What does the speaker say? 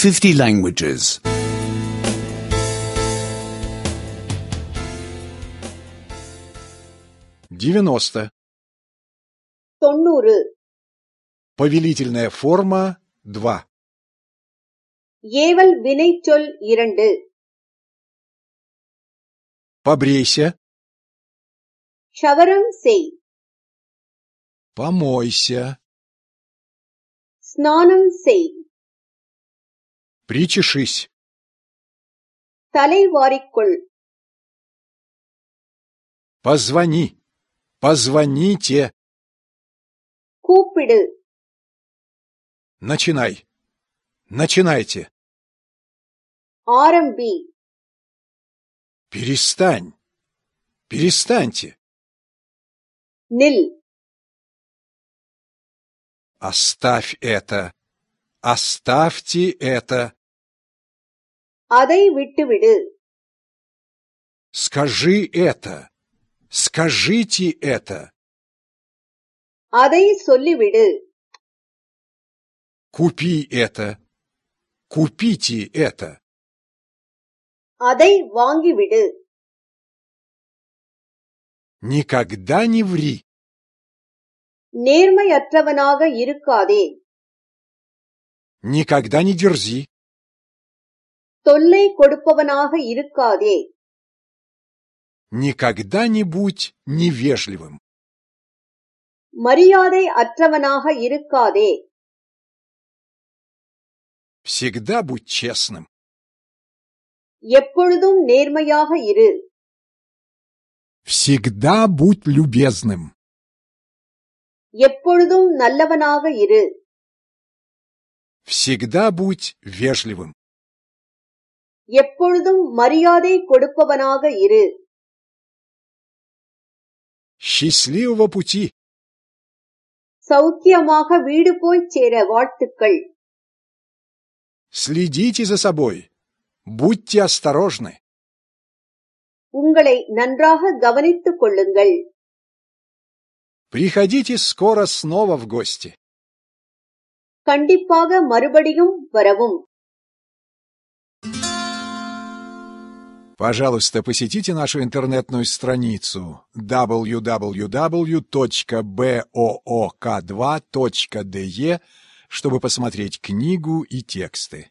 50 languages. 90. 90. Повелительная форма 2. ஏவல் வினைச்சொல் 2. Побрейся, ஷவரம் செய், помойся, ஸ்நானம் செய், причешись, தலை வாரிக்கொள், позвони, позвоните, கூப்பிடு, начинай, начинайте, ஆரம்பி, перестань, перестаньте, நில், оставь это, оставьте это, அதை விட்டுவிடு, скажи это, скажите это, அதை சொல்லிவிடு, купи это, купите это, அதை வாங்கிவிடு, никогда не ври, நேர்மையற்றவனாக இருக்காதே, никогда не дерзи, தொல்லை கொடுப்பவனாக இருக்காதே, никогда не будь невежливым, மரியாதை அற்றவனாக இருக்காதே, всегда будь честным, எப்பொழுதும் நேர்மையாக இரு, всегда будь любезным, எப்பொழுதும் நல்லவனாக இரு, всегда будь вежливым, எப்பொழுதும் மரியாதை கொடுப்பவனாக இரு, счастливого пути, சௌக்கியமாக வீடு போய்ச் சேர வாழ்த்துக்கள், следите за собой, будьте осторожны, உங்களை நன்றாக கவனித்துக் கொள்ளுங்கள், приходите скоро снова в гости. கண்டிப்பாக மறுபடியும் வரவும். Пожалуйста, посетите нашу интернетную страницу www.book2.de, чтобы посмотреть книгу и тексты.